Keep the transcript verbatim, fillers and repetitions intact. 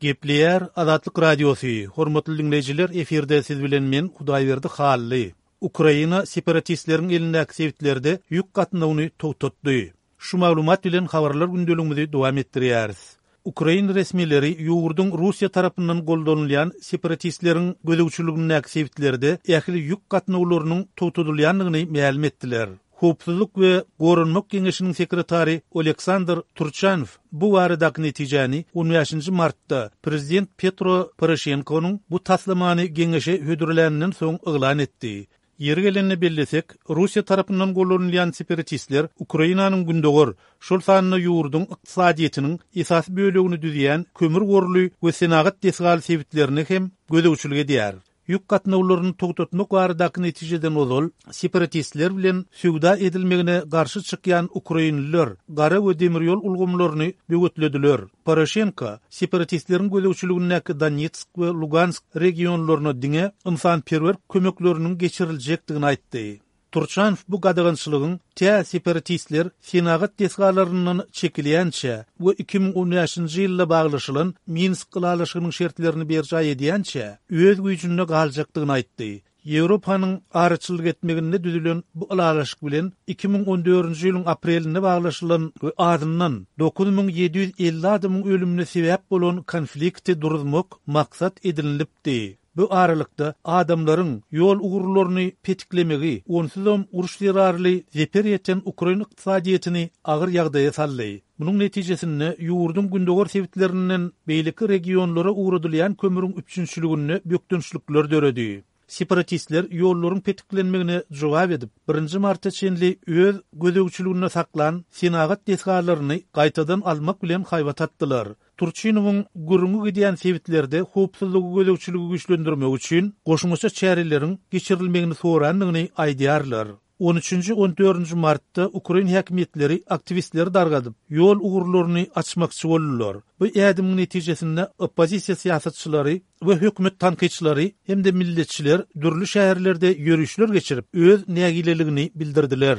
Gepleýär Azatlyk Radiosy. Hormatly diňleýjiler, efirde siz bilen men Hudaýberdi Hally. Ukraina separatistleriň elindäki sebitlerde ýük gatnawyny togtatdy. Şu maglumat bilen habarlar gündeligimizi dowam etdirýäris. Ukrain resmileri ýurduň Russiýa tarapyndan goldanylýan separatistleriň gözegçiligindäki sebitlerde ähli ýük gatnawlarynyň togtadylýandygyny mälim etdiler. Howpsuzlyk we Goranmak Geňeşiniň sekretary Oleksandr Turçanow bu baradaky netijäni on bäşinji martda prezident Petro Poroşenkonyň bu taslamany geňeşe hödürläninden soň yglan etdi. Ýeri gelende bellesek, Russiýa tarapyndan gollanylýan separatistler Ukrainanyň gündogar, şol sanda ýurduň ykdysadyýetiniň esasy bölegini düzýän kömür gorly we senagat desgaly sebitlerine hem gözegçilik edýär. Ýük gatnawlaryny togtatmak baradaky netijeden ozal separatistler bilen söwda edilmegine garşy çykýan ukrainliler gara we demir ýol ulgamlaryny böwetlediler. Poroşenko separatistleriň gözegçiligindäki Donetsk we Lugansk regionlaryna diňe ynsanperwer kömekleriniň geçiriljekdigini aýtdy. Turçanow bu gadagançylygyň tä separatistler senagat desgalaryndan çekilýänçä we iki müň on bäşinji ýylda baglaşylan Minsk ylalaşygynyň şertlerini berjaý edýänçä öz güýjünde galjakdygyny aýtdy. Ýewropanyň araçylyk etmeginde düzülen bu ylalaşyk bilen iki müň on dördünji ýylyň aprelinde baglaşylan we azyndan dokuz müň ýedi ýüz elli adamyň ölümine sebäp bolan konflikti duruzmak maksat edinilipdi. Bu aralykda adamlaryň ýol ugurlaryny petiklemegi, onsuzam uruş zerarly zeper ýeten ukrain ykdysadyýetini agyr ýagdaýa saldy. Munuň netijesinde ýurduň gündogar sebitlerinden beýleki regionlara ugradylýan kömüriň üpjünçiliginde bökdençlikler döredi. Separatistler ýollaryň petiklenmegine jogap edip, birinji marta çenli öz gözegçiliginde saklan senagat desgalaryny gaýtadan almak bilen haýbat atdylar. Turçinowyň gürrüňi gidýän sebitlerde howpsuzlygy gözegçiligi güýçlendirmek üçin goşmaça çäreleriň geçirilmegini sorandygyny aýdýarlar. On üçünji, on dördünji martda ukrain häkimiýetleri aktiwistleri dargadyp, ýol ugurlaryny açmakçy boldular. Bu ädimiň netijesinde oppozisiýa syýasatçylary we hökümet tankytçylary hem-de milletçiler dürli şäherlerde ýörüşler geçirip, öz nägileligini bildirdiler.